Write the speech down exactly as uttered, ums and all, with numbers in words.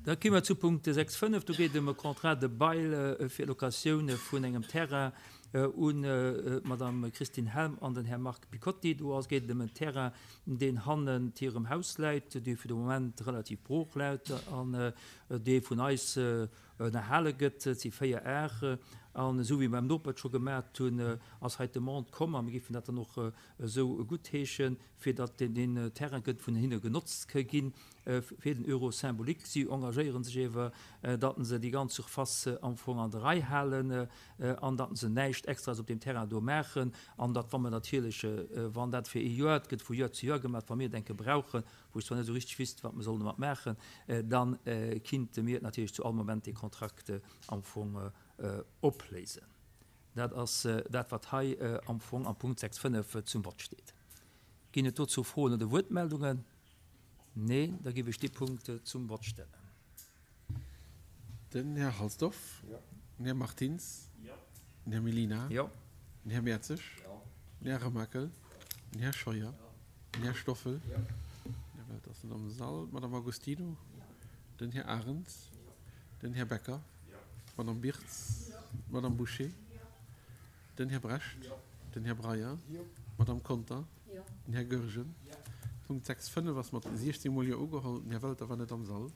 Da komme mer zu Punkt sechs fënnef. Do geet et ëm e Contrat de bail fir d'Locatioun vun engem Terrain un d'Madame Christine Helm an den Här Marc Picotti. Do ass geet et ëm en Terrain, deen hannent hirem Haus läit, dee fir de Moment relativ brooch läit an dee vun eis ënnerhale gëtt. Et si véier Ar. An esou wéi mer beim Noper et scho gemat hunn, ass hei d'Demande komm, a mir géifen dat dann och esou guttheeschen, fir datt deen Terrain kënnt vun hinne genotzt ka ginn fir den Euro symbolique. Si engagéiere sech ewer, datt se déi ganz Surface am Fong an der Rei halen an datt se näischt Extraes op deem Terrain do maachen an datt, wa mer natierlech, wann dat fir ee Joer, et gëtt vu Joer zu Joer gemaach, wa mir et enke brauchen, wou ech zwar net esou richteg wüsst, wat mer sollen domat maachen, da kinnte mir natierlech zu all Moment dee Kontrakt am Fong opléisen. Dat ass dat, wat hei am Fong am Punkt sechs fënnef zum Vott steet. Ginn et dozou Froen oder Wuertmeldungen? Nee, da géif ech dee Punkt zum Vott stellen. Den Här Halsdorf. Den Här Martins. Den Här Mellina. Den Här Mertzig. Den Här Remakel. Den Här Scheuer. Den Här Stoffel. Den Här Welter ass net am Sall. D'Madame Agostino. Den Här Arens. Den Här Becker. D'Madame Birtz. D'Madame Bouché. Den Här Brecht. Den Här Breyer. D'Madame Conter. Den Här Goergen. Punkt sechs fënnef ass mat siechzéng Mol Jo ugeholl. Den Här Welter war net am Sall.